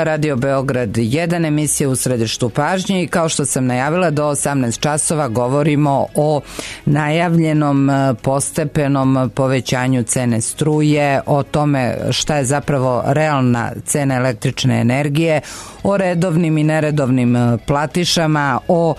Radio Beograd 1, emisija u središtu pažnje i kao što sam najavila do 18 časova govorimo o najavljenom postepenom povećanju cene struje, o tome šta je zapravo realna cena električne energije, o redovnim i neredovnim platišama, o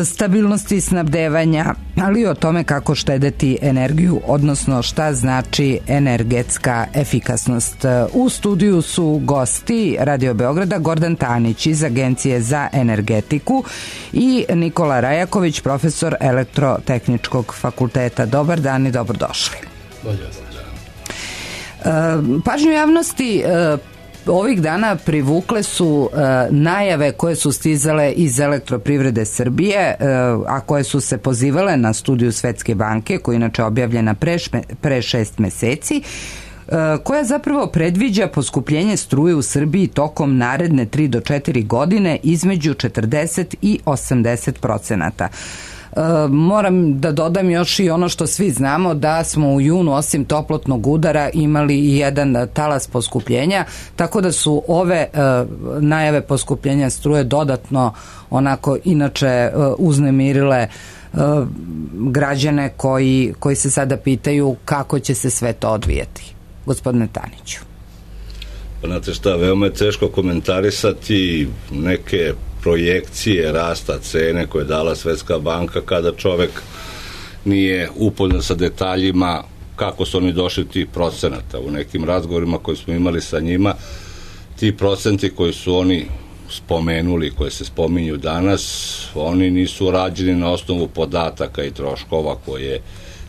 stabilnosti snabdevanja, ali i o tome kako štedeti energiju, odnosno šta znači energetska efikasnost. U studiju su gosti Radio Beograda Gordan Tanić iz Agencije za energetiku i Nikola Rajaković, profesor Elektrotehničkog fakulteta. Dobar dan i dobrodošli. Pažnju javnosti ovih dana privukle su najave koje su stizale iz Elektroprivrede Srbije, a koje su se pozivale na studiju Svetske banke, koja je inače objavljena pre 6 meseci, koja zapravo predviđa poskupljenje struje u Srbiji tokom naredne 3 do 4 godine između 40 i 80%. Moram da dodam još i ono što svi znamo, da smo u junu osim toplotnog udara imali i jedan talas poskupljenja, tako da su ove najave poskupljenja struje dodatno onako inače uznemirile građane koji se sada pitaju kako će se sve to odvijati. Gospodine Taniću. Pa znate šta, veoma je teško komentarisati neke projekcije rasta cene koje je dala Svetska banka kada čovek nije upoznat sa detaljima kako su oni došli tih procenata. U nekim razgovorima koji smo imali sa njima, ti procenti koji su oni spomenuli, koje se spominju danas, oni nisu rađeni na osnovu podataka i troškova koje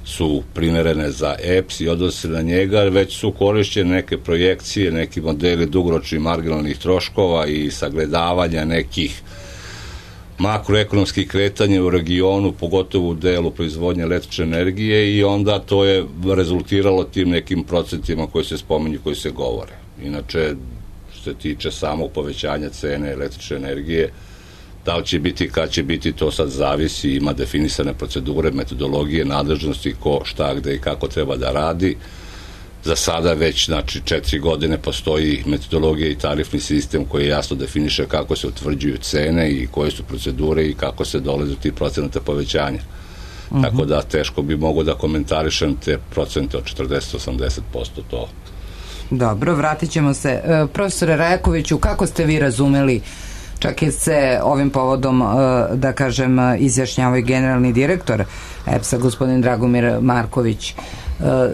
su primerene za EPS i odnose na njega, već su korišćene neke projekcije, neki modeli dugoročnih marginalnih troškova i sagledavanja nekih makroekonomskih kretanja u regionu, pogotovo u delu proizvodnje električne energije, i onda to je rezultiralo tim nekim procentima koji se spominju, koji se govore. Inače, što se tiče samog povećanja cene električne energije, da li će biti, kad će biti, to sad zavisi, ima definisane procedure, metodologije, nadležnosti, ko, šta, gde i kako treba da radi. Za sada već, znači, 4 godine postoji metodologija i tarifni sistem koji jasno definiše kako se utvrđuju cene i koje su procedure i kako se dolazi do tih procenata povećanja. Tako da teško bi mogo da komentarišem te procente od 40-80% to. Dobro, vratit ćemo se. Profesore Rajakoviću, kako ste vi razumeli, čak je se ovim povodom, da kažem, izjašnjavao i generalni direktor EPS-a, gospodin Dragomir Marković.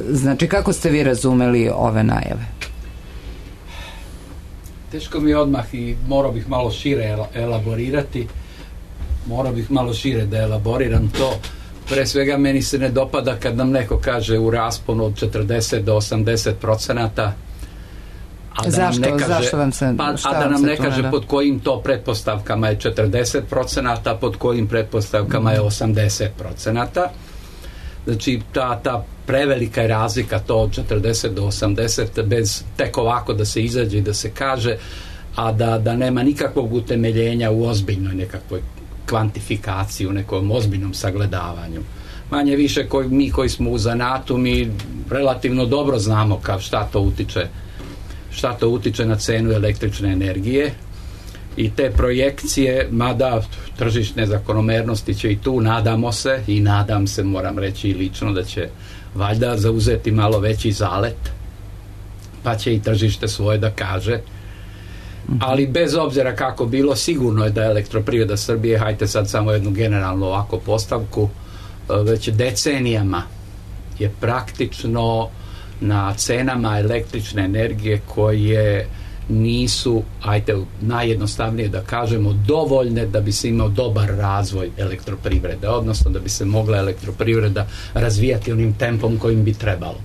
Znači, kako ste vi razumeli ove najave? Teško mi je odmah i morao bih malo šire elaborirati. Morao bih malo šire da elaboriram to. Pre svega, meni se ne dopada kad nam neko kaže u rasponu od 40 do 80%. Zašto vam se... A da nam ne kaže pod kojim to pretpostavkama je 40%, pod kojim pretpostavkama je 80%. Znači, ta prevelika je razlika, to od 40 do 80, bez tek ovako da se izađe i da se kaže, a da nema nikakvog utemeljenja u ozbiljnoj nekakvoj kvantifikaciji, u nekom ozbiljnom sagledavanju. Manje više mi koji smo u zanatu, mi relativno dobro znamo šta to utiče na cenu električne energije, i te projekcije, mada tržišne zakonomernosti će i tu, nadamo se, i nadam se, moram reći i lično, da će valjda zauzeti malo veći zalet, pa će i tržište svoje da kaže. Ali bez obzira kako bilo, sigurno je da Elektroprivreda Srbije, hajte sad samo jednu generalnu ovako postavku, već decenijama je praktično na cenama električne energije koje nisu, ajte najjednostavnije da kažemo, dovoljne da bi se imao dobar razvoj elektroprivrede, odnosno da bi se mogla elektroprivreda razvijati onim tempom kojim bi trebalo.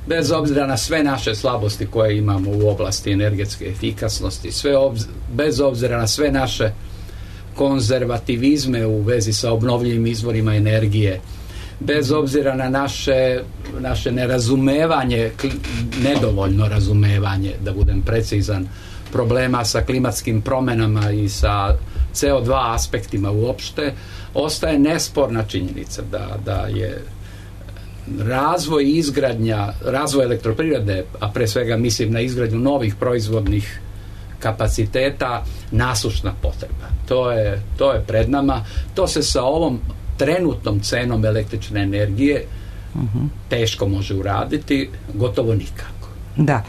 Bez obzira na sve naše slabosti koje imamo u oblasti energetske efikasnosti, bez obzira na sve naše konzervativizme u vezi sa obnovljivim izvorima energije, bez obzira na naše nerazumevanje, nedovoljno razumevanje, da budem precizan, problema sa klimatskim promenama i sa CO2 aspektima uopšte, ostaje nesporna činjenica da je razvoj elektroprivrede, a pre svega mislim na izgradnju novih proizvodnih kapaciteta nasušna potreba. To je pred nama. To se sa ovom trenutnom cenom električne energije teško može uraditi, gotovo nikako. Da.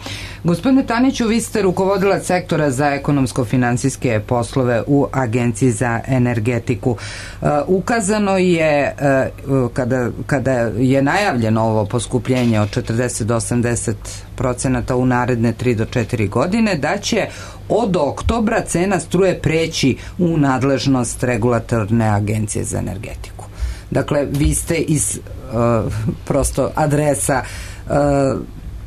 Gospodine Taniću, vi ste rukovodilac sektora za ekonomsko-finansijske poslove u Agenciji za energetiku. Ukazano je, kada je najavljeno ovo poskupljenje od 40 do 80% u naredne 3 do 4 godine, da će od oktobra cena struje preći u nadležnost regulatorne agencije za energetiku. Dakle, vi ste iz prosto adresa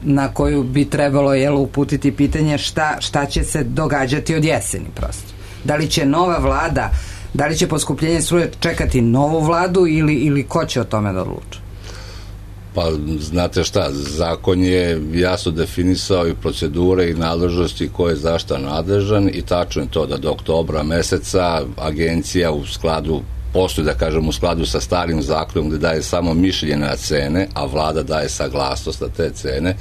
na koju bi trebalo uputiti pitanje šta će se događati od jeseni prosto. Da li će nova vlada, da li će poskupljenje struje čekati novu vladu ili ko će o tome da odluči? Pa znate šta, zakon je jasno definisao i procedure i nadležnosti ko je za šta nadležan i tačno je to da do oktobra meseca agencija u skladu postoji, da kažem, u skladu sa starim zakonom gde daje samo mišljenje na cene, a vlada daje saglasnost na te cene,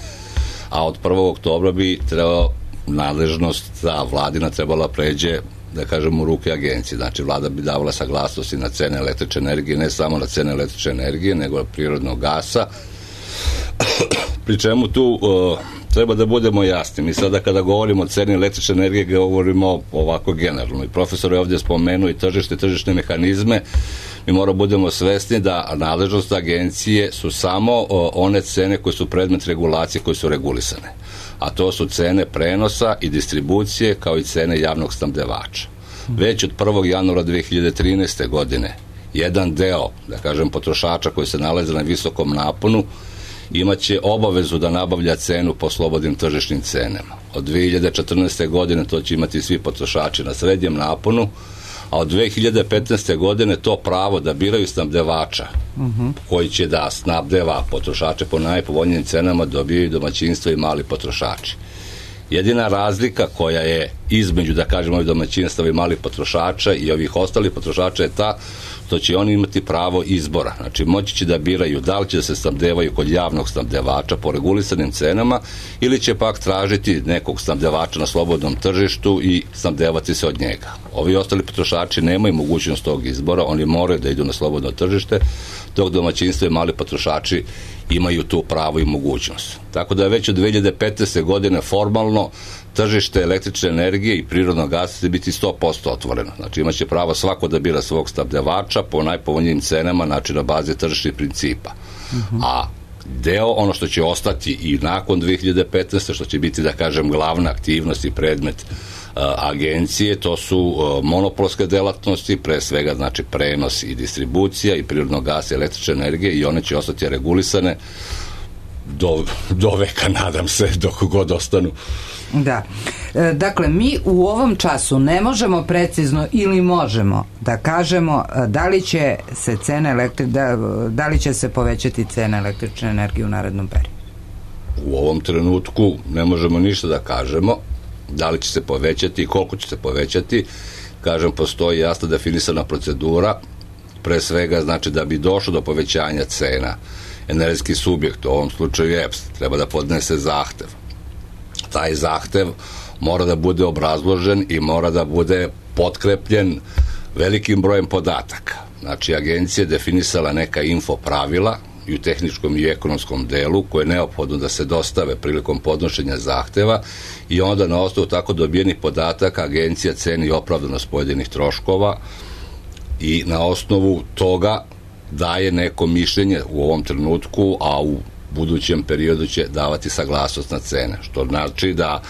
a od 1. oktobra bi trebao nadležnost ta vladina trebala pređe, da kažem, u ruke agencije. Znači, vlada bi davala saglasnosti na cene električne energije, ne samo na cene električne energije, nego prirodnog gasa. Pri čemu tu treba da budemo jasni. Mi sada kada govorimo o ceni električne energije, govorimo ovako generalno. I profesor je ovdje spomenuo i tržišne mehanizme. Mi moramo budemo svesni da nadležnost agencije su samo one cene koje su predmet regulacije, koje su regulisane. A to su cene prenosa i distribucije, kao i cene javnog snabdevača. Već od 1. januara 2013. godine jedan deo, da kažem, potrošača koji se nalaze na visokom naponu imaće obavezu da nabavlja cenu po slobodnim tržišnim cenama. Od 2014. godine to će imati svi potrošači na srednjem naponu, a od 2015. godine to pravo da biraju snabdevača koji će da snabdeva potrošače po najpovoljnijim cenama dobijaju domaćinstva i mali potrošači. Jedina razlika koja je između, da kažemo, ovih domaćinstava i malih potrošača i ovih ostalih potrošača je ta što će oni imati pravo izbora. Znači, moći će da biraju da li će da se snabdevaju kod javnog snabdevača po regulisanim cenama ili će pak tražiti nekog snabdevača na slobodnom tržištu i snabdevati se od njega. Ovi ostali potrošači nemaju mogućnost tog izbora, oni moraju da idu na slobodno tržište, dok domaćinstva i mali potrošači imaju tu pravo i mogućnost. Tako da je već od 2015. godine formalno tržište električne energije i prirodnog gasa će biti 100% otvoreno. Znači, imaće pravo svako da bira svog snabdevača po najpovoljnijim cenama, znači na bazi tržišnih principa. A deo, ono što će ostati i nakon 2015. što će biti, da kažem, glavna aktivnost i predmet agencije, to su monopolske delatnosti, pre svega, znači, prenos i distribucija i prirodnog gasa i električne energije, i one će ostati regulisane do veka, nadam se, dok god ostanu. Da. Dakle, mi u ovom času ne možemo precizno ili možemo da kažemo da li će se da li će se povećati cena električne energije u narednom periodu. U ovom trenutku ne možemo ništa da kažemo da li će se povećati i koliko će se povećati. Kažem, postoji jasno definisana procedura, pre svega, znači, da bi došlo do povećanja cena, energetski subjekt, u ovom slučaju EPS, treba da podnese zahtev. Taj zahtev mora da bude obrazložen i mora da bude potkrepljen velikim brojem podataka. Znači, agencija je definisala neka info pravila i u tehničkom i ekonomskom delu koje je neophodno da se dostave prilikom podnošenja zahteva, i onda na osnovu tako dobijenih podataka agencija ceni opravdanost pojedinih troškova i na osnovu toga daje neko mišljenje u ovom trenutku, a u budućem periodu će davati saglasnost na cene, što znači da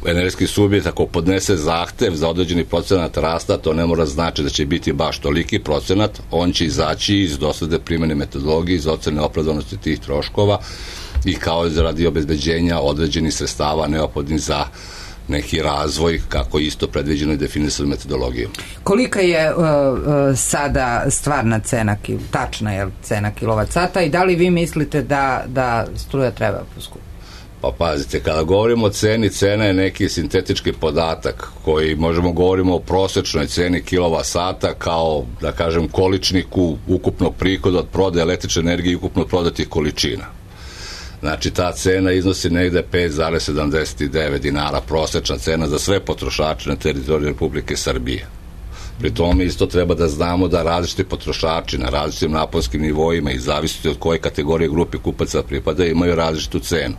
energetski subjekt ako podnese zahtev za određeni procenat rasta, to ne mora znači da će biti baš toliki procenat, on će izaći iz dosledne primjene metodologije, iz ocene opravdanosti tih troškova i kao radi obezbeđenja određenih sredstava neophodnih za neki razvoj, kako isto predviđeno i definisano metodologijom. Kolika je sada stvarna cena, tačna cena kilovat sata, i da li vi mislite da struja treba poskupiti? Pa pazite, kada govorimo o ceni, cena je neki sintetički podatak koji možemo govorimo o prosečnoj ceni kilovat sata kao, da kažem, količniku ukupnog prihoda od prodaje električne energije i ukupno prodatih količina. Znači ta cena iznosi negde 5,79 dinara, prosečna cena za sve potrošače na teritoriju Republike Srbije. Pri tome isto treba da znamo da različiti potrošači na različitim naponskim nivoima i zavisiti od koje kategorije grupe kupaca pripada imaju različitu cenu.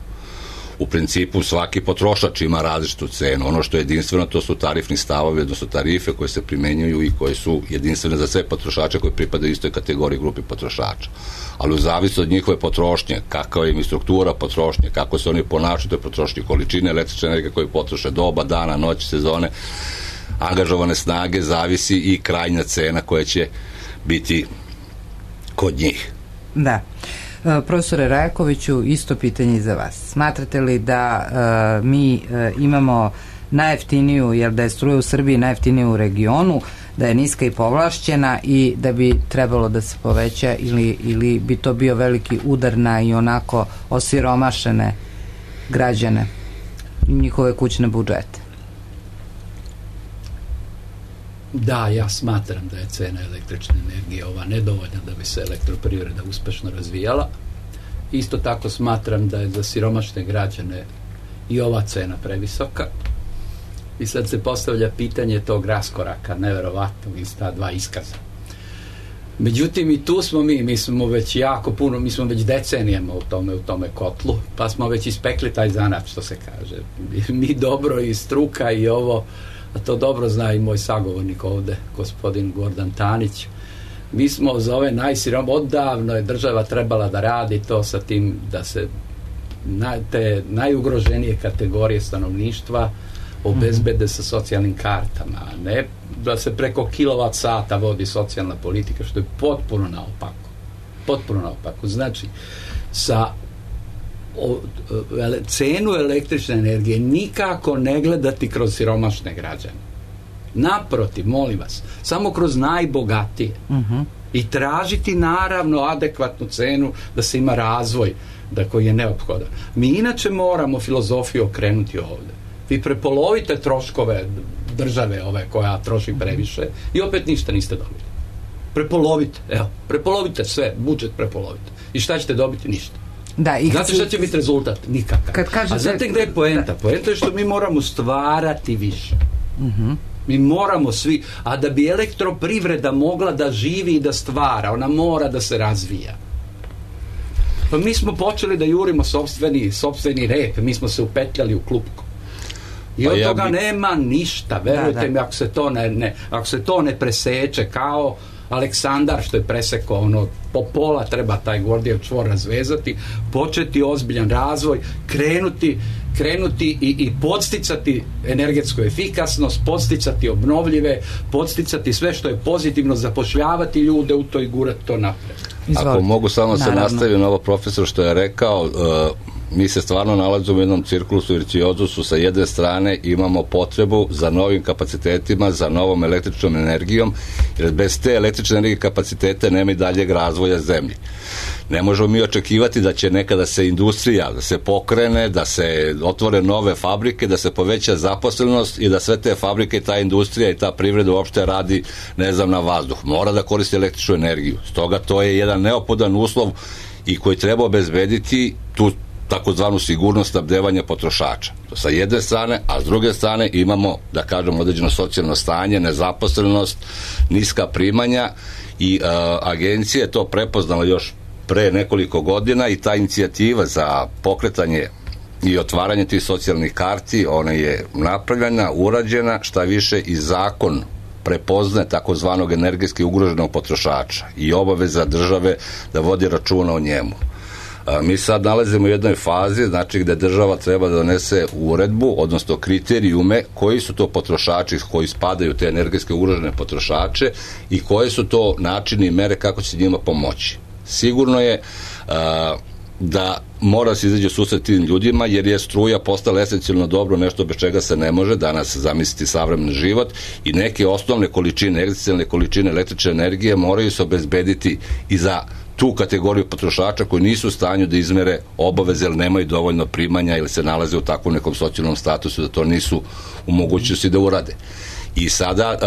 U principu svaki potrošač ima različitu cenu. Ono što je jedinstveno to su tarifni stavovi, odnosno tarife koje se primenjuju i koje su jedinstvene za sve potrošače koji pripadaju istoj kategoriji grupi potrošača. Ali u zavisnosti od njihove potrošnje, kakva im je struktura potrošnje, kako se oni ponašaju toj potrošnji, količine električne energije koje potroše, doba, dana, noći, sezone, angažovane snage, zavisi i krajnja cena koja će biti kod njih. Da. Profesore Rajakoviću, isto pitanje za vas. Smatrate li da mi imamo najjeftiniju, jer da je struja u Srbiji najjeftinija u regionu, da je niska i povlašćena i da bi trebalo da se poveća ili bi to bio veliki udar na i onako osiromašene građane i njihove kućne budžete? Da, ja smatram da je cena električne energije ova nedovoljna da bi se elektroprivreda uspešno razvijala. Isto tako smatram da je za siromašne građane i ova cena previsoka. I sad se postavlja pitanje tog raskoraka, neverovatnog iz ta dva iskaza. Međutim, i tu smo mi smo već jako puno, mi smo već decenijama u tome kotlu, pa smo već ispekli taj zanat, što se kaže. Mi dobro i struka i ovo, a to dobro zna i moj sagovornik ovde, gospodin Gordan Tanić. Mi smo za ove odavno je država trebala da radi to sa tim da se te najugroženije kategorije stanovništva obezbede sa socijalnim kartama, a ne da se preko kilovat sata vodi socijalna politika, što je potpuno naopako. Potpuno naopako. Znači, sa cenu električne energije nikako ne gledati kroz siromašne građane. Naprotiv, molim vas, samo kroz najbogatije. I tražiti naravno adekvatnu cenu da se ima razvoj koji je neophodan. Mi inače moramo filozofiju okrenuti ovde. Vi prepolovite troškove države ove koja troši previše i opet ništa niste dobili. Prepolovite sve, budžet prepolovite. I šta ćete dobiti? Ništa. Da, znate šta će biti rezultat? Nikakav. A znate gde je poenta? Poenta je što mi moramo stvarati više. Mi moramo svi, a da bi elektroprivreda mogla da živi i da stvara, ona mora da se razvija. Pa mi smo počeli da jurimo sopstveni rep, mi smo se upetljali u klupko. I od toga nema ništa, verujte mi, ako se to ne preseče, kao Aleksandar što je presekao po pola, treba taj Gordijev čvor razvezati, početi ozbiljan razvoj, krenuti i podsticati energetsku efikasnost, podsticati obnovljive, podsticati sve što je pozitivno, zapošljavati ljude u to i gurati to napred. Ako mogu samo se nastaviti na ovo profesor što je rekao, mi se stvarno nalazimo u jednom cirkulusu virtuozusu. Sa jedne strane imamo potrebu za novim kapacitetima, za novom električnom energijom, jer bez te električne energije kapacitete nema i daljeg razvoja zemlje. Ne možemo mi očekivati da će nekada se industrija, da se pokrene, da se otvore nove fabrike, da se poveća zaposlenost i da sve te fabrike, ta industrija i ta privreda uopšte radi, na vazduh. Mora da koristi električnu energiju. Stoga to je jedan neophodan uslov i koji treba obezbediti tu takozvanu sigurnost snabdevanja potrošača. To sa jedne strane, a s druge strane imamo, da kažem, određeno socijalno stanje, nezaposlenost, niska primanja i agencija je to prepoznala još pre nekoliko godina i ta inicijativa za pokretanje i otvaranje tih socijalnih karti, ona je napravljena, urađena, šta više i zakon prepoznaje takozvanog energetski ugroženog potrošača i obaveza države da vodi računa o njemu. Mi sad nalazimo u jednoj fazi, znači gde država treba da donese uredbu, odnosno kriterijume koji su to potrošači koji spadaju te energetske ugrožene potrošače i koje su to načini i mere kako će njima pomoći. Sigurno je da mora se izaći u susret tim ljudima, jer je struja postala esencijalno dobro, nešto bez čega se ne može danas zamisliti savremeni život i neke osnovne količine, egzistencijalne količine električne energije moraju se obezbediti i za tu kategoriju potrošača koji nisu u stanju da izmere obaveze ili nemaju dovoljno primanja ili se nalaze u takvom nekom socijalnom statusu da to nisu u mogućnosti da urade. I sada,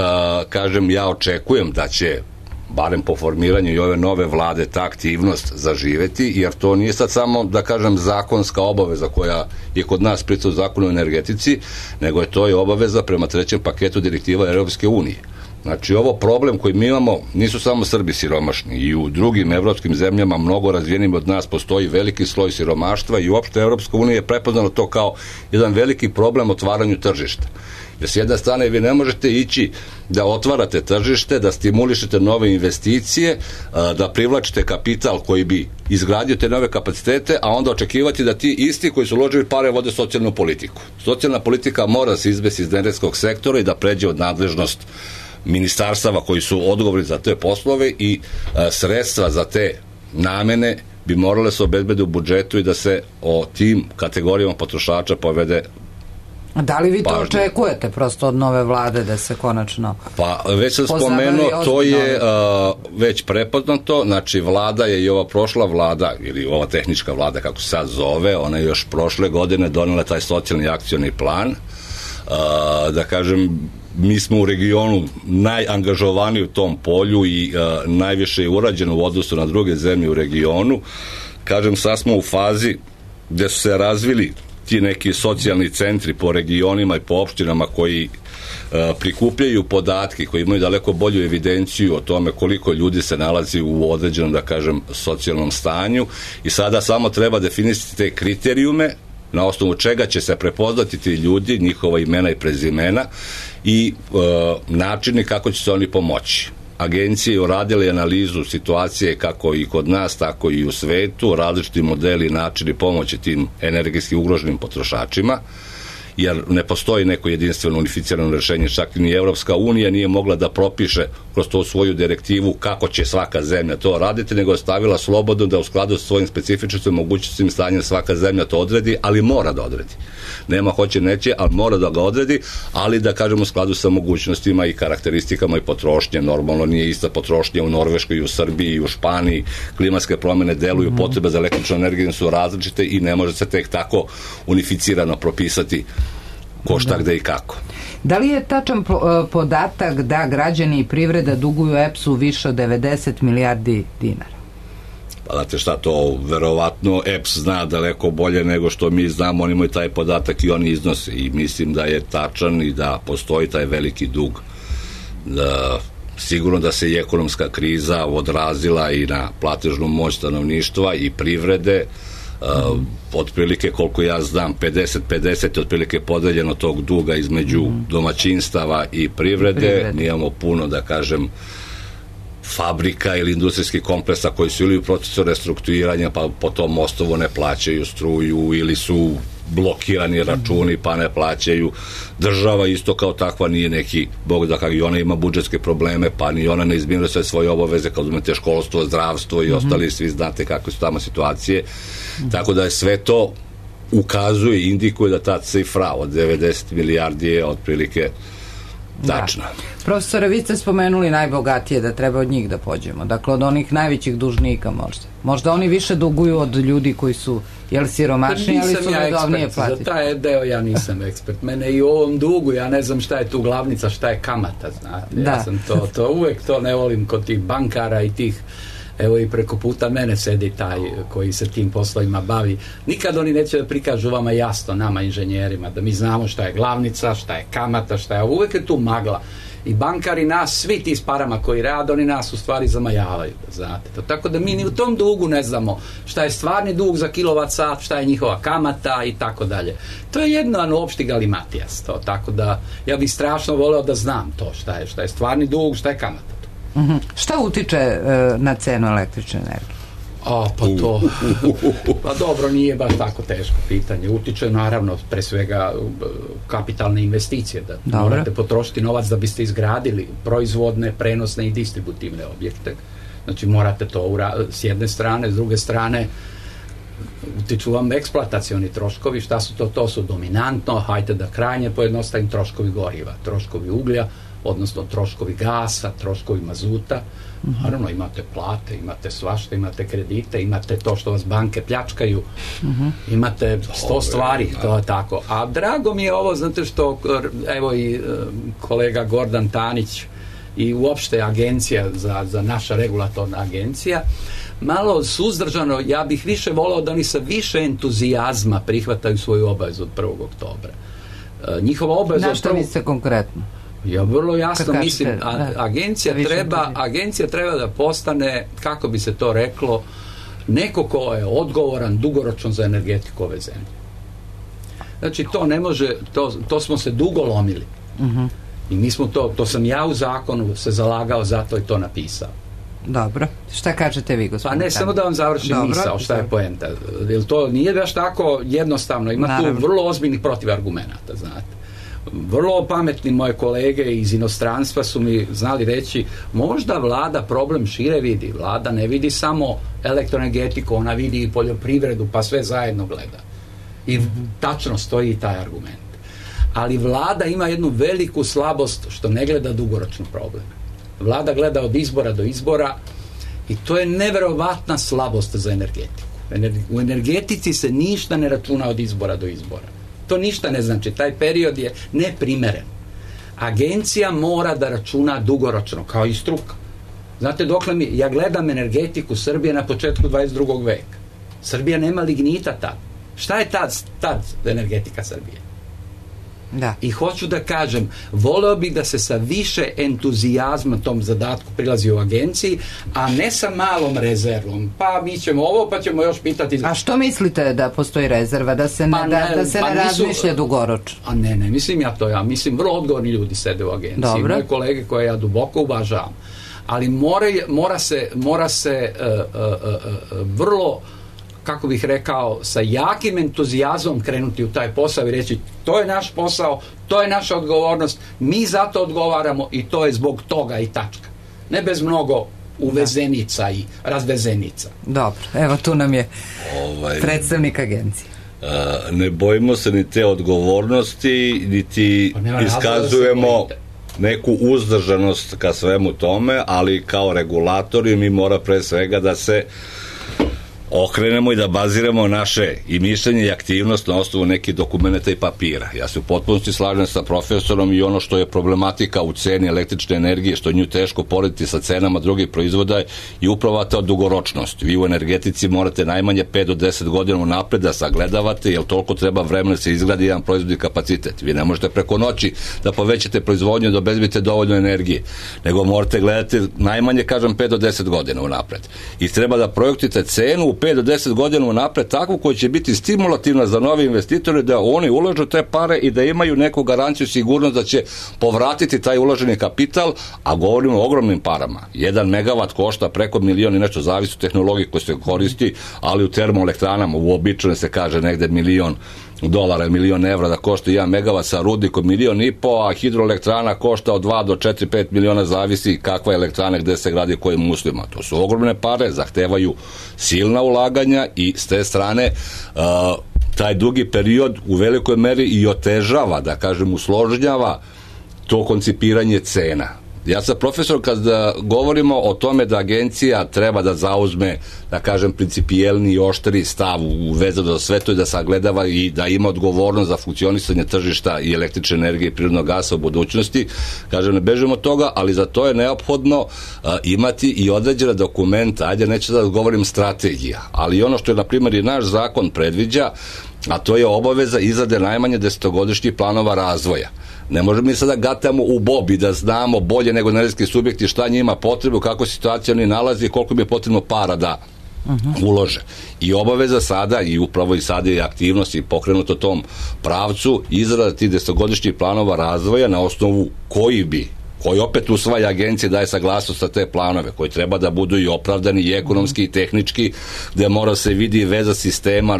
kažem, ja očekujem da će barem po formiranju i ove nove vlade, ta aktivnost zaživeti, jer to nije sad samo, da kažem, zakonska obaveza koja je kod nas pritom zakon o energetici, nego je to i obaveza prema trećem paketu direktiva Europske unije. Znači, ovo problem koji mi imamo, nisu samo Srbi siromašni, i u drugim evropskim zemljama, mnogo razvijenim od nas, postoji veliki sloj siromaštva i uopšte Evropska unija je prepoznala to kao jedan veliki problem otvaranju tržišta. Jer s jedne strane vi ne možete ići da otvarate tržište, da stimulišete nove investicije, da privlačite kapital koji bi izgradio te nove kapacitete, a onda očekivati da ti isti koji su uložili pare vode socijalnu politiku. Socijalna politika mora se izvesti iz energetskog sektora i da pređe od nadležnost ministarstava koji su odgovorni za te poslove i sredstva za te namene bi morale se obezbediti u budžetu i da se o tim kategorijama potrošača povede. Da li vi to očekujete prosto od nove vlade da se konačno Pa već sam spomenuo, to je već prepoznato, znači vlada je i ova prošla vlada, ili ova tehnička vlada kako se sad zove, ona je još prošle godine donela taj socijalni akcioni plan, da kažem, mi smo u regionu najangažovaniji u tom polju i najviše je urađeno u odnosu na druge zemlje u regionu. Kažem, sad smo u fazi gde su se razvili ti neki socijalni centri po regionima i po opštinama koji prikupljaju podatke, koji imaju daleko bolju evidenciju o tome koliko ljudi se nalazi u određenom, da kažem, socijalnom stanju, i sada samo treba definisati te kriterijume na osnovu čega će se prepoznati ti ljudi, njihova imena i prezimena i načini kako će se oni pomoći. Agencije je uradile analizu situacije kako i kod nas, tako i u svetu, različiti modeli i načini pomoći tim energetski ugroženim potrošačima, jer ne postoji neko jedinstveno unificirano rešenje, čak ni Evropska unija nije mogla da propiše kroz to svoju direktivu kako će svaka zemlja to raditi, nego je stavila slobodno da u skladu sa svojim specifičnostima, mogućnostima, stanjem svaka zemlja to odredi, ali mora da odredi. Nema hoće neće, ali mora da ga odredi, ali da kažemo u skladu sa mogućnostima i karakteristikama i potrošnje. Normalno nije ista potrošnja u Norveškoj i u Srbiji i u Španiji, klimatske promene deluju, potrebe za električnu energiju su različite i ne može se tek tako unificirano propisati ko šta, gde i kako. Da li je tačan podatak da građani i privreda duguju EPS-u više od 90 milijardi dinara? Pa znate šta, to verovatno EPS zna daleko bolje nego što mi znamo, oni imaju taj podatak i oni iznose, i mislim da je tačan i da postoji taj veliki dug. Sigurno da se i ekonomska kriza odrazila i na platežnu moć stanovništva i privrede, otprilike koliko ja znam 50-50 je otprilike podeljeno tog duga između domaćinstava i privrede. Nijemo puno, da kažem, fabrika ili industrijskih kompleksa koji su ili u procesu restrukturiranja pa po tom osnovu ne plaćaju struju ili su blokirani računi pa ne plaćaju. Država isto kao takva nije neki bog da kako i ona ima budžetske probleme pa ni ona ne izmiruje sve svoje obaveze, kao uzmete školstvo, zdravstvo i ostali, svi znate kakve su tamo situacije. Tako da je sve to ukazuje i indikuje da ta cifra od 90 milijardi je otprilike tačna. Da. Profesore, vi ste spomenuli najbogatije, da treba od njih da pođemo. Dakle, od onih najvećih dužnika možda. Možda oni više duguju od ljudi koji su siromašni, ali su redovnije platiti. Za taj deo ja nisam ekspert. Mene i u ovom dugu, ja ne znam šta je tu glavnica, šta je kamata, znate. Da. Ja sam to uvek to ne volim kod tih bankara i tih. Evo i preko puta mene sedi taj koji se tim poslovima bavi. Nikad oni neće da prikažu vama jasno, nama inženjerima, da mi znamo šta je glavnica, šta je kamata, šta je... Uvek je tu magla. I bankari nas, svi ti s parama koji rade, oni nas u stvari zamajavaju, znate. Tako da mi ni u tom dugu ne znamo šta je stvarni dug za kilovat sat, šta je njihova kamata i tako dalje. To je jedan opšti galimatijas. Tako da ja bih strašno voleo da znam to šta je stvarni dug, šta je kamata. Šta utiče na cenu električne energije? Pa to pa dobro, nije baš tako teško pitanje. Utiče naravno pre svega kapitalne investicije, da morate potrošiti novac da biste izgradili proizvodne, prenosne i distributivne objekte. Znači morate to s jedne strane, s druge strane utiču vam eksploatacioni troškovi. Šta su to? To su dominantno, hajde da krajnje pojednostavim, troškovi goriva, troškovi uglja, odnosno troškovi gasa, troškovi mazuta. Naravno, imate plate, imate svašta, imate kredite, imate to što vas banke pljačkaju, imate 100 stvari, to je tako. A drago mi je ovo, znate što, evo i kolega Gordan Tanić i uopšte agencija za naša regulatorna agencija, malo suzdržano, ja bih više volao da oni sa više entuzijazma prihvataju svoju obavezu od 1. oktobra. Njihova obaveza... Na što mislite konkretno? Ja vrlo jasno mislim, agencija treba da postane, kako bi se to reklo, neko ko je odgovoran dugoročno za energetiku ove zemlje. Znači, to ne može, to smo se dugo lomili. I mi smo to sam ja u zakonu se zalagao, zato i to napisao. Dobro. Šta kažete vi, gospodine? Pa ne, samo da vam završim misao, šta je poenta. Jer to nije baš tako jednostavno. Ima tu vrlo ozbiljnih protivargumenata, znate. Vrlo pametni moje kolege iz inostranstva su mi znali reći, možda vlada problem šire vidi. Vlada ne vidi samo elektroenergetiku, ona vidi i poljoprivredu, pa sve zajedno gleda. I tačno stoji taj argument. Ali vlada ima jednu veliku slabost što ne gleda dugoročno problem. Vlada gleda od izbora do izbora i to je neverovatna slabost za energetiku. U energetici se ništa ne računa od izbora do izbora. To ništa ne znači. Taj period je neprimeren. Agencija mora da računa dugoročno, kao i struka. Znate, ja gledam energetiku Srbije na početku 22. veka. Srbija nema lignita tad. Šta je tad energetika Srbije? Da. I hoću da kažem, voleo bih da se sa više entuzijazma tom zadatku prilazi u agenciji, a ne sa malom rezervom. Pa mi ćemo ovo, pa ćemo još pitati... A što mislite da postoji rezerva? Da se ne razmišlja dugoročno? A ne, mislim ja to. Ja mislim, vrlo odgovorni ljudi sede u agenciji. Dobro. Moje kolege koje ja duboko uvažavam. Ali mora se vrlo, kako bih rekao, sa jakim entuzijazmom krenuti u taj posao i reći, to je naš posao, to je naša odgovornost, mi za to odgovaramo i to je zbog toga i tačka. Ne bez mnogo uvezenica i razvezenica. Dobro, evo tu nam je predstavnik agencije. Ne bojimo se ni te odgovornosti, niti iskazujemo neku uzdržanost ka svemu tome, ali kao regulatori mi mora pre svega da se okrenemo i da baziramo naše i mišljenje i aktivnost na osnovu nekih dokumenta i papira. Ja se u potpunosti slažem sa profesorom i ono što je problematika u ceni električne energije, što je nju teško porediti sa cenama drugih proizvoda i upravo ta dugoročnost. Vi u energetici morate najmanje 5 do 10 godina unapred da sagledavate, jer toliko treba vremena da se izgradi jedan proizvodni kapacitet. Vi ne možete preko noći da povećate proizvodnju, da obezbedite dovoljno energije, nego morate gledati najmanje, kažem, 5 do 10 godina unapred. I treba da projektujete cenu u 5 do 10 godina unapred takvu koja će biti stimulativna za nove investitore da oni ulažu te pare i da imaju neku garanciju, sigurnost da će povratiti taj uloženi kapital, a govorimo o ogromnim parama. 1 megavat košta preko milion i nešto, zavisi od tehnologije koje se koristi, ali u termoelektranama uobičajeno se kaže negde $1.000.000, $1.000.000 da košta 1 megavat sa rudnikom 1.500.000, a hidroelektrana košta od 2 do 4-5 miliona, zavisi kakva je elektrana, gde se gradi, kojim uslovima. To su ogromne pare, zahtevaju silna ulaganja i s te strane taj dugi period u velikoj meri i otežava, da kažem, usložnjava to koncipiranje cena. Ja sam profesor, kada govorimo o tome da agencija treba da zauzme, da kažem, principijelni i oštri stav u vezano za sve to i da sagledava i da ima odgovornost za funkcionisanje tržišta i električne energije i prirodnog gasa u budućnosti, kažem, ne bežimo od toga, ali za to je neophodno imati i određena dokumenta, ajde, neću da govorim strategija, ali ono što je, na primjer, i naš zakon predviđa, a to je obaveza izrade najmanje 10-godišnjih planova razvoja. Ne možemo mi sada gatamo u bobi da znamo bolje nego energetski subjekti šta njima potrebu, kako situacija oni nalazi i koliko bi je potrebno para da ulože. I obaveza sada, i upravo i sada je aktivnost i pokrenuto tom pravcu, izrada tih 10-godišnjih planova razvoja na osnovu koji opet usvaja agencija, daje saglasnost sa te planove, koji treba da budu i opravdani i ekonomski i tehnički, gde mora se vidi veza sistema.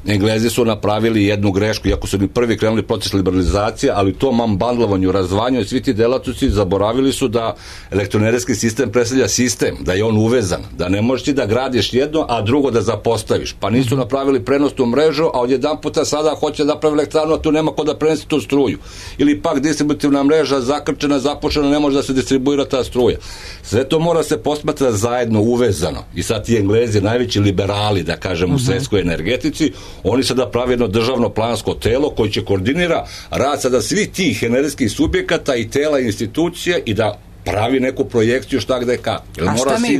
Englezi su napravili jednu grešku, iako su ni prvi krenuli proces liberalizacije, ali u tom unbundlovanju, razdvajanju i svi ti delatnosti zaboravili su da elektroenergetski sistem predstavlja sistem, da je on uvezan, da ne možeš ti da gradiš jedno, a drugo da zapostaviš. Pa nisu napravili prenosnu mrežu, a odjedan puta sada hoće da napravi elektranu, a tu nema ko da prenese tu struju. Ili pak distributivna mreža zakrčena, zapušena, ne može da se distribuira ta struja. Sve to mora se posmatrati zajedno, uvezano. I sad ti Englezi, najveći liberali, da kažem, u svetskoj energetici, oni sada pravi jedno državno plansko telo koji će koordinira rad sada svih tih energetskih subjekata i tela i institucija i da pravi neku projekciju šta gde kako. A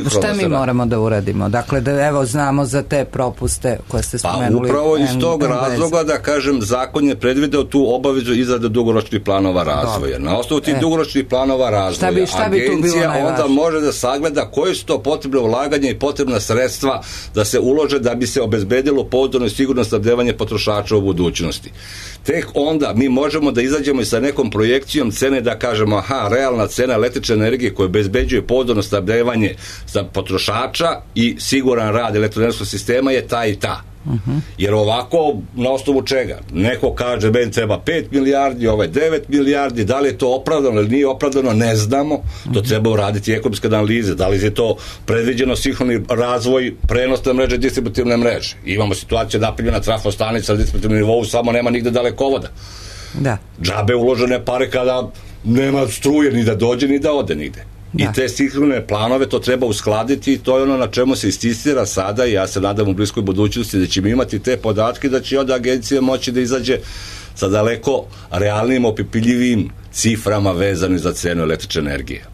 šta mi moramo da uradimo? Dakle, da evo znamo za te propuste koje ste spomenuli. Pa upravo iz tog razloga, da kažem, zakon je predvideo tu obavezu izrade dugoročnih planova razvoja. Na osnovu tih dugoročnih planova razvoja agencija onda može da sagleda koje su to potrebne ulaganja i potrebna sredstva da se ulože da bi se obezbedilo pouzdano i sigurno snabdevanje potrošača u budućnosti. Tek onda mi možemo da izađemo i sa nekom projekcijom cene, da kažemo, realna cena električne energije koja obezbeđuje pouzdano snabdevanje za potrošača i siguran rad elektroenergetskog sistema je ta i ta. Jer ovako, na osnovu čega? Neko kaže, meni treba 5 milijardi, 9 milijardi, da li je to opravdano ili nije opravdano, ne znamo. To treba uraditi ekonomske analize. Da li je to predviđeno sinhroni razvoj prenosne mreže, distributivne mreže. Imamo situaciju napravljena trafostanica na distributivnom nivou, samo nema nigde dalekovoda. Džabe uložene pare kada nema struje ni da dođe ni da ode nigde. I te sinhrone planove to treba uskladiti i to je ono na čemu se insistira sada i ja se nadam u bliskoj budućnosti da ćemo imati te podatke, da će onda agencija moći da izađe sa daleko realnim, opipiljivim ciframa vezanim za cenu električne energije.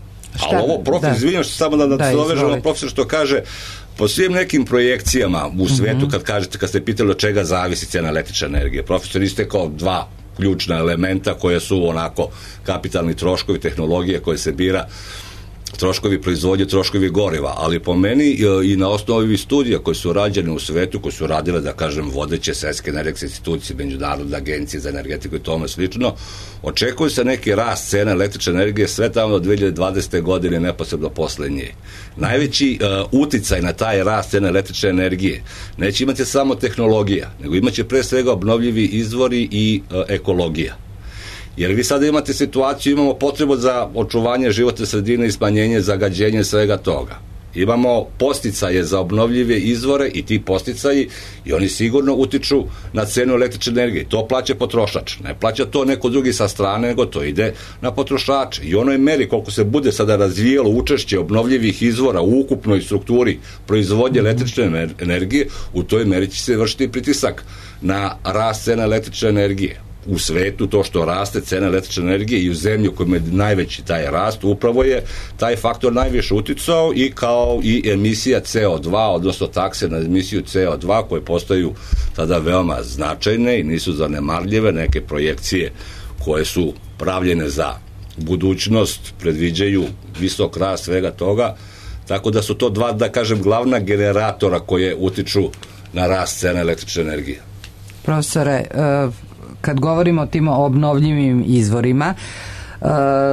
Ali ovo, profesor, izvinjam što samo da se dovežemo, profesor, što kaže, po svim nekim projekcijama u svetu, kad ste pitali od čega zavisi cena električne energije, profesor istekao dva ključna elementa koje su onako kapitalni troškovi, tehnologije koje se bira, troškovi proizvodnje, troškovi goriva, ali po meni i na osnovu ovih studija koje su rađene u svetu, koje su radile, da kažem, vodeće svetske energetske institucije, međunarodne agencije za energetiku i tome slično, očekuje se neki rast cena električne energije sve tamo do 2020. godine, neposredno posle nje. Najveći uticaj na taj rast cena električne energije neće imati samo tehnologija, nego imaće pre svega obnovljivi izvori i ekologija. Jer vi sada imate situaciju, imamo potrebu za očuvanje životne sredine i smanjenje zagađenja svega toga. Imamo posticaje za obnovljive izvore i ti posticaji i oni sigurno utiču na cenu električne energije. To plaća potrošač. Ne plaća to neko drugi sa strane, nego to ide na potrošače. I onoj meri koliko se bude sada razvijelo učešće obnovljivih izvora u ukupnoj strukturi proizvodnje električne energije, u toj meri će se vršiti pritisak na rast cena električne energije. U svetu to što raste cena električne energije i u zemlji u kojoj je najveći taj rast, upravo je taj faktor najviše uticao i kao i emisija CO2, odnosno takse na emisiju CO2 koje postaju tada veoma značajne i nisu zanemarljive. Neke projekcije koje su pravljene za budućnost predviđaju visok rast svega toga, tako da su to dva, da kažem, glavna generatora koje utiču na rast cena električne energije. Profesore, kad govorimo o tim obnovljivim izvorima,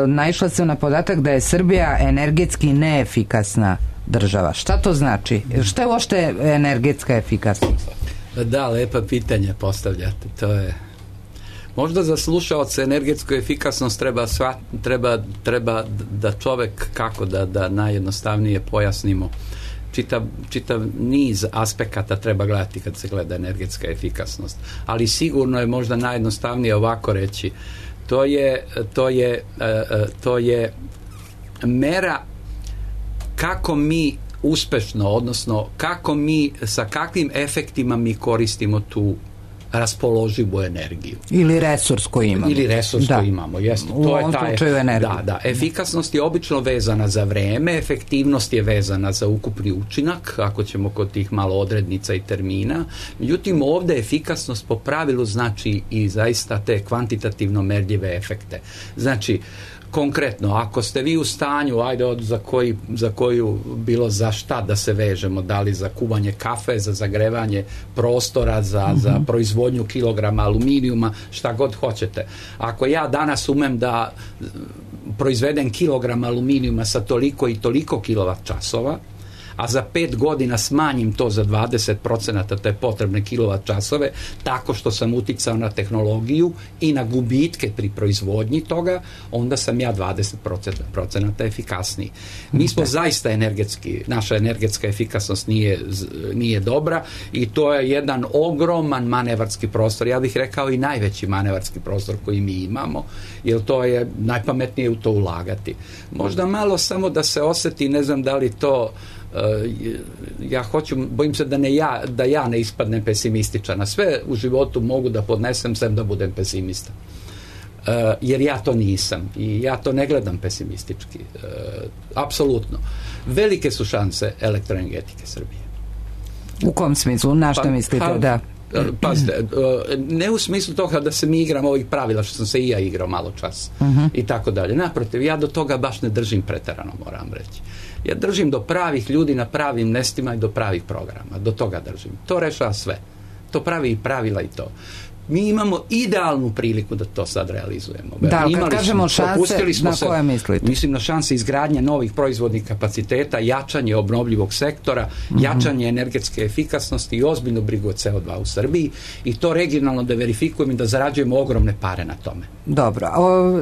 naišla sam na podatak da je Srbija energetski neefikasna država. Šta to znači? Šta je uopšte energetska efikasnost? Da, lepa pitanja postavljate. To je možda za slušaoce energetsku efikasnost treba da čovek, kako da najjednostavnije pojasnimo, čitav niz aspekata treba gledati kad se gleda energetska efikasnost. Ali sigurno je možda najjednostavnije ovako reći. To je mera kako mi uspešno, odnosno kako mi, sa kakvim efektima mi koristimo tu raspoloživu energiju. Ili resurs koji imamo. Imamo, jeste. U ovom slučaju energiju. Da. Efikasnost je obično vezana za vreme, efektivnost je vezana za ukupni učinak, ako ćemo kod tih malo odrednica i termina. Međutim, ovde efikasnost po pravilu znači i zaista te kvantitativno merljive efekte. Znači, konkretno, ako ste vi u stanju, za koju bilo za šta da se vežemo, da li za kuvanje kafe, za zagrevanje prostora, za proizvodnju kilograma aluminijuma, šta god hoćete. Ako ja danas umem da proizvedem kilogram aluminijuma sa toliko i toliko kilovat časova, a za 5 godina smanjim to za 20% te potrebne kilovat časove, tako što sam uticao na tehnologiju i na gubitke pri proizvodnji toga, onda sam ja 20% efikasniji. Mi smo zaista naša energetska efikasnost nije dobra i to je jedan ogroman manevarski prostor, ja bih rekao i najveći manevarski prostor koji mi imamo, jer to je najpametnije u to ulagati. Možda malo samo da se oseti, ne znam da li to bojim se da ja ne ispadnem pesimističan. A sve u životu mogu da podnesem sem da budem pesimista. jer ja to nisam i ja to ne gledam pesimistički. Apsolutno. Velike su šanse elektroenergetike Srbije. U kom smislu? Na što mislite? Da. Pazite, ne u smislu toga da se mi igramo ovih pravila što sam se i ja igrao malo čas i tako dalje. Naprotiv, ja do toga baš ne držim preterano, moram reći. Ja držim do pravih ljudi na pravim mestima i do pravih programa. Do toga držim. To rešava sve. To pravi i pravila i to. Mi imamo idealnu priliku da to sad realizujemo. Da, ali kad kažemo šanse, na koje mislite? Mislim na šanse izgradnje novih proizvodnih kapaciteta, jačanje obnovljivog sektora, jačanje energetske efikasnosti i ozbiljnu brigu od CO2 u Srbiji i to regionalno da verifikujemo i da zarađujemo ogromne pare na tome. Dobro.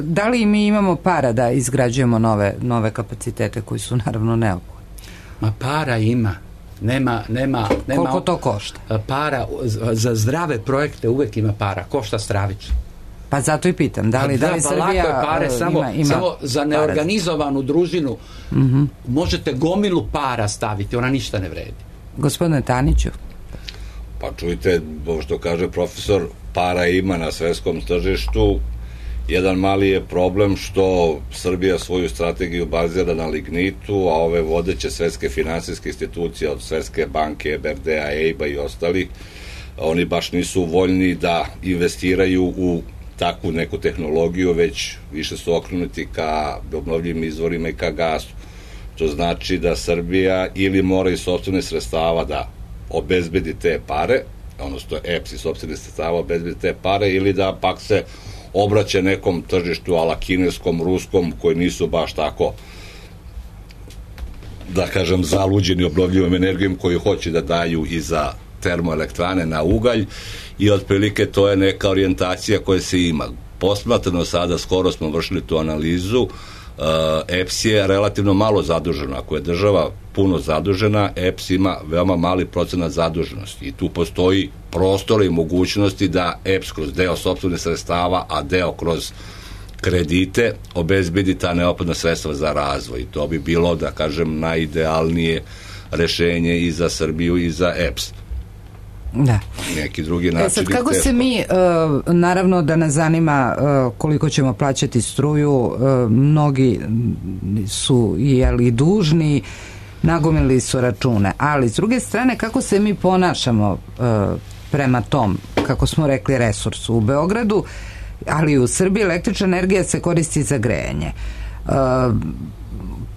Da li mi imamo para da izgrađujemo nove kapacitete koji su naravno neophodni? Ma para ima. Nema koliko to košta? Para za zdrave projekte uvek ima para, košta stravično. Pa zato i pitam, da li Srbija pare, samo za neorganizovanu družinu možete gomilu para staviti, ona ništa ne vredi. Gospodine Taniću. Pa čujte, ovo što kaže profesor, para ima na svetskom tržištu. Jedan mali je problem što Srbija svoju strategiju bazira na lignitu, a ove vodeće svetske finansijske institucije od Svetske banke, EBRD-a, EIB-a i ostali, oni baš nisu voljni da investiraju u takvu neku tehnologiju, već više su okrenuti ka obnovljivim izvorima i ka gasu. To znači da Srbija ili mora iz sopstvenih sredstava da obezbedi te pare, odnosno EPS iz sopstvenih sredstava obezbedi te pare, ili da pak se obraća nekom tržištu ala kineskom, ruskom, koji nisu baš tako, da kažem, zaluđeni obnovljivom energijom koju hoće da daju i za termoelektrane na ugalj i otprilike to je neka orijentacija koja se ima. Posmatrano sada, skoro smo vršili tu analizu, EPS je relativno malo zadužena. Ako je država puno zadužena, EPS ima veoma mali procenat zaduženosti i tu postoji prostor i mogućnosti da EPS kroz deo sopstvenih sredstava, a deo kroz kredite obezbedi ta neophodna sredstva za razvoj. I to bi bilo, da kažem, najidealnije rešenje i za Srbiju i za EPS. Da. Neki drugi način. Sad, kako se mi, naravno da nas zanima koliko ćemo plaćati struju, mnogi su i dužni, nagomili su račune, ali s druge strane kako se mi ponašamo prema tom, kako smo rekli, resursu u Beogradu, ali i u Srbiji električna energija se koristi za grejanje.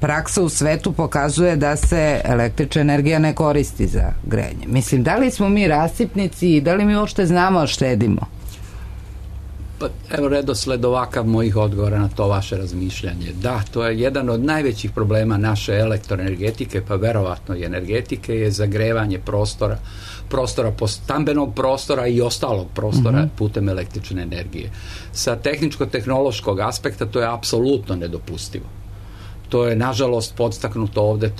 Praksa u svetu pokazuje da se električna energija ne koristi za grejanje. Mislim, da li smo mi rasipnici i da li mi uopšte znamo štedimo? Pa, evo redosled ovakav mojih odgovora na to vaše razmišljanje. Da, to je jedan od najvećih problema naše elektroenergetike, pa verovatno i energetike, je zagrevanje prostora stambenog prostora i ostalog prostora putem električne energije. Sa tehničko-tehnološkog aspekta to je apsolutno nedopustivo. To je, nažalost, podstaknuto ovde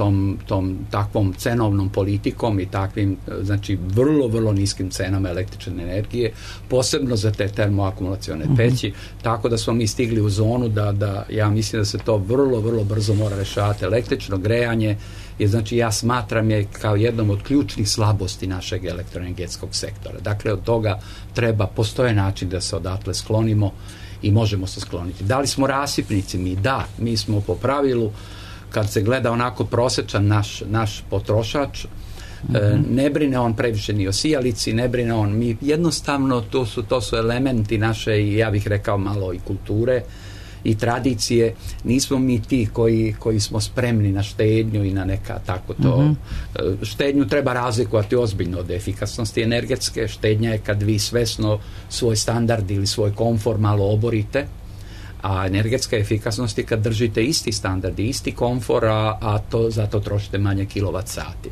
tom takvom cenovnom politikom i takvim, znači, vrlo niskim cenama električne energije, posebno za te termoakumulacione peći, tako da smo mi stigli u zonu da ja mislim da se to vrlo brzo mora rešavati. Električno grejanje je, znači, ja smatram je kao jednom od ključnih slabosti našeg elektroenergetskog sektora. Dakle, od toga postoje način da se odatle sklonimo i možemo se skloniti. Da li smo rasipnici? Mi da, mi smo po pravilu, kad se gleda onako prosečan naš potrošač, ne brine on previše ni o sijalici, ne brine on, mi jednostavno, to su elementi naše, i ja bih rekao malo i kulture i tradicije, nismo mi ti koji smo spremni na štednju i na neka tako to. Štednju treba razlikovati ozbiljno od efikasnosti energetske. Štednja je kad vi svesno svoj standard ili svoj komfor malo oborite, a energetska efikasnost je kad držite isti standard i isti komfor, a to zato trošite manje kilovat sati.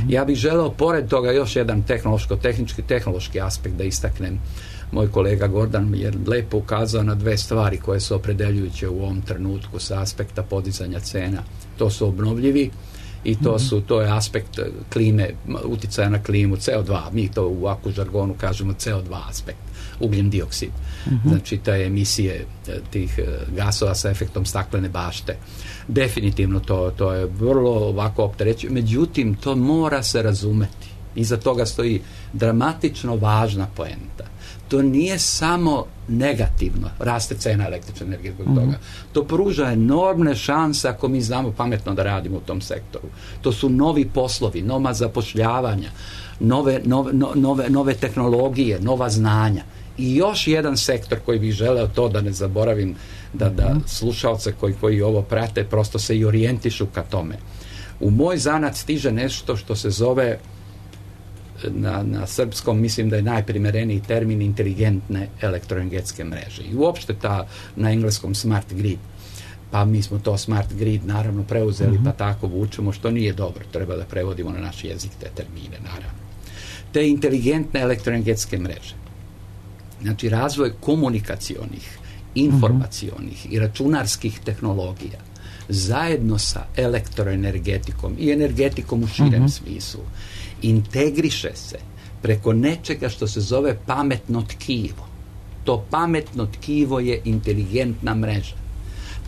Ja bih želeo pored toga još jedan tehnološki aspekt da istaknem. Moj kolega Gordan je lepo ukazao na dve stvari koje su opredeljujuće u ovom trenutku sa aspekta podizanja cena. To su obnovljivi i to je aspekt klime, uticaja na klimu, CO2, mi to u ovakvu žargonu kažemo CO2 aspekt, ugljen dioksid. Znači te emisije tih gasova sa efektom staklene bašte. Definitivno to je vrlo ovako opterećujuće, međutim to mora se razumeti. Iza toga stoji dramatično važna poenta. To nije samo negativno, raste cena električne energije zbog toga. To pruža enormne šanse ako mi znamo pametno da radimo u tom sektoru. To su novi poslovi, nova zapošljavanja, nove tehnologije, nova znanja. I još jedan sektor koji bih želeo, to da ne zaboravim, da slušalce koji ovo prate prosto se i orijentišu ka tome. U moj zanat stiže nešto što se zove, na srpskom mislim da je najprimereniji termin, inteligentne elektroenergetske mreže. I uopšte na engleskom smart grid. Pa mi smo to smart grid naravno preuzeli, pa tako vučemo, što nije dobro. Treba da prevodimo na naš jezik te termine, naravno. Te inteligentne elektroenergetske mreže. Znači, razvoj komunikacionih, informacionih i računarskih tehnologija zajedno sa elektroenergetikom i energetikom u širem smislu integriše se preko nečega što se zove pametno tkivo. To pametno tkivo je inteligentna mreža.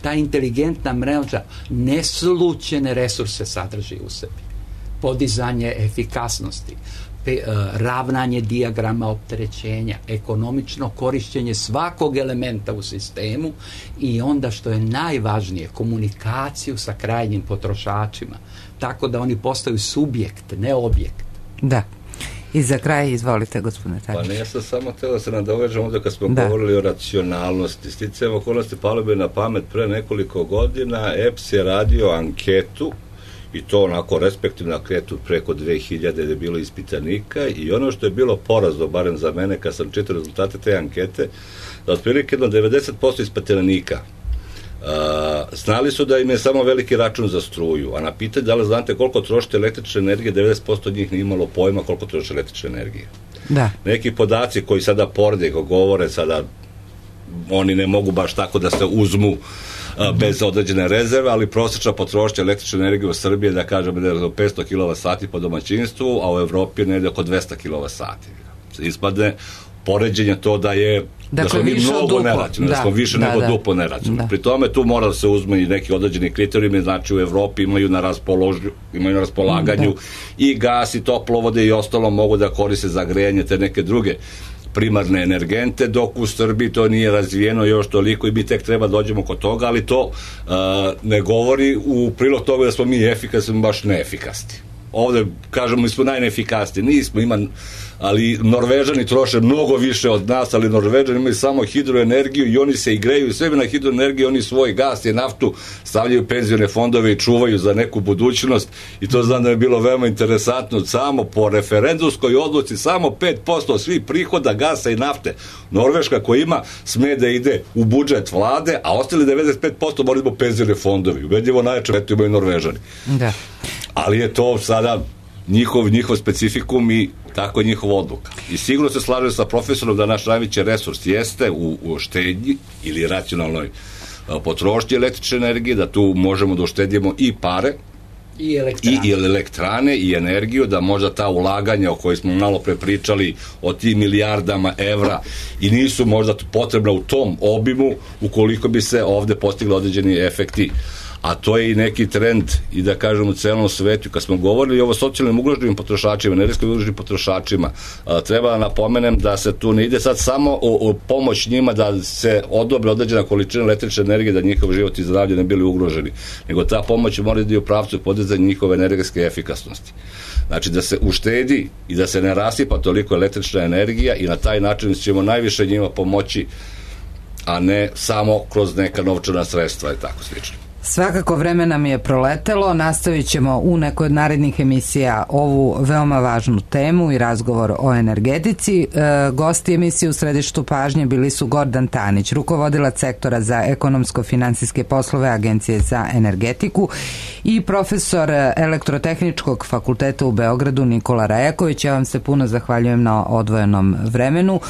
Ta inteligentna mreža neslućene resurse sadrži u sebi. Podizanje efikasnosti, ravnanje dijagrama opterećenja, ekonomično korišćenje svakog elementa u sistemu i onda što je najvažnije, komunikaciju sa krajnjim potrošačima, tako da oni postaju subjekt, ne objekt. Da. I za kraj, izvolite, gospodine Tadić. Pa ne, ja sam samo teo da se nadovežem ovdje kad smo govorili o racionalnosti. Sticajem okolnosti palo bi na pamet pre nekoliko godina, EPS je radio anketu, i to onako respektivno anketu preko 2000 gde je bilo ispitanika, i ono što je bilo porazno, barem za mene kad sam čitao rezultate te ankete, da otprilike 90% ispitanika znali su da im je samo veliki račun za struju, a na pitanje da li znate koliko trošite električne energije, 90% njih nije imalo pojma koliko troši električne energije. Da. Neki podaci koji sada porede, koji govore sada, oni ne mogu baš tako da se uzmu bez određene rezerve, ali prosječna potrošnja električne energije u Srbiji je, da kažemo, 500 kWh po domaćinstvu, a u Evropi je negdje oko 200 kWh. Ispadne poređenje to da je da smo mi mnogo neracionalni, da smo više nego duplo neracionalni. Pri tome tu mora da se uzme i neki određeni kriterijumi, znači u Evropi imaju na raspolaganju i gas i toplovode i ostalo mogu da koriste za grejanje te neke druge primarne energente, dok u Srbiji to nije razvijeno još toliko i mi tek treba dođemo kod toga, ali to ne govori u prilog toga da smo mi efikasni, baš neefikasni. Ovde, kažemo, mi smo najneefikasniji, nismo, ali Norvežani troše mnogo više od nas, ali Norvežani imaju samo hidroenergiju i oni se i greju sebi na hidroenergiju, oni svoj gas i naftu stavljaju penzione fondove i čuvaju za neku budućnost, i to znam da je bilo veoma interesantno. Samo po referendumskoj odluci samo 5% svih prihoda gasa i nafte Norveška koja ima sme da ide u budžet vlade, a ostali 95% moraju zbog penzione fondovi. Ubedljivo najjače imaju Norvežani. Da. Ali je to sada njihov specifikum i tako je njihova odluka. I sigurno se slažem sa profesorom da naš najveći resurs jeste u štednji ili racionalnoj potrošnji električne energije, da tu možemo da uštedimo i pare i elektrane i energiju, da možda ta ulaganja o kojoj smo malo pre pričali o tim milijardama evra i nisu možda potrebna u tom obimu ukoliko bi se ovde postigli određeni efekti. A to je i neki trend, i da kažem, u celom svetu. Kad smo govorili o socijalnim ugroženim potrošačima, energetski ugroženim potrošačima, treba da napomenem da se tu ne ide sad samo o pomoć njima da se odobre određena količina električne energije, da njihov život i zdravlje ne bili ugroženi, nego ta pomoć mora da ide u pravcu podizanja njihove energetske efikasnosti. Znači da se uštedi i da se ne rasipa toliko električna energija, i na taj način ćemo najviše njima pomoći, a ne samo kroz neka novčana sredstva i tako slično. Svakako vreme nam je proletelo, nastavit ćemo u nekoj od narednih emisija ovu veoma važnu temu i razgovor o energetici. Gosti emisije u središtu pažnje bili su Gordan Tanić, rukovodilac sektora za ekonomsko-finansijske poslove Agencije za energetiku, i profesor Elektrotehničkog fakulteta u Beogradu Nikola Rajaković. Ja vam se puno zahvaljujem na odvojenom vremenu.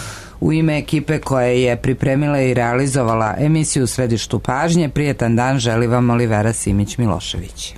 U ime ekipe koja je pripremila i realizovala emisiju u središtu pažnje, prijetan dan želi vam Olivera Simić-Milošević.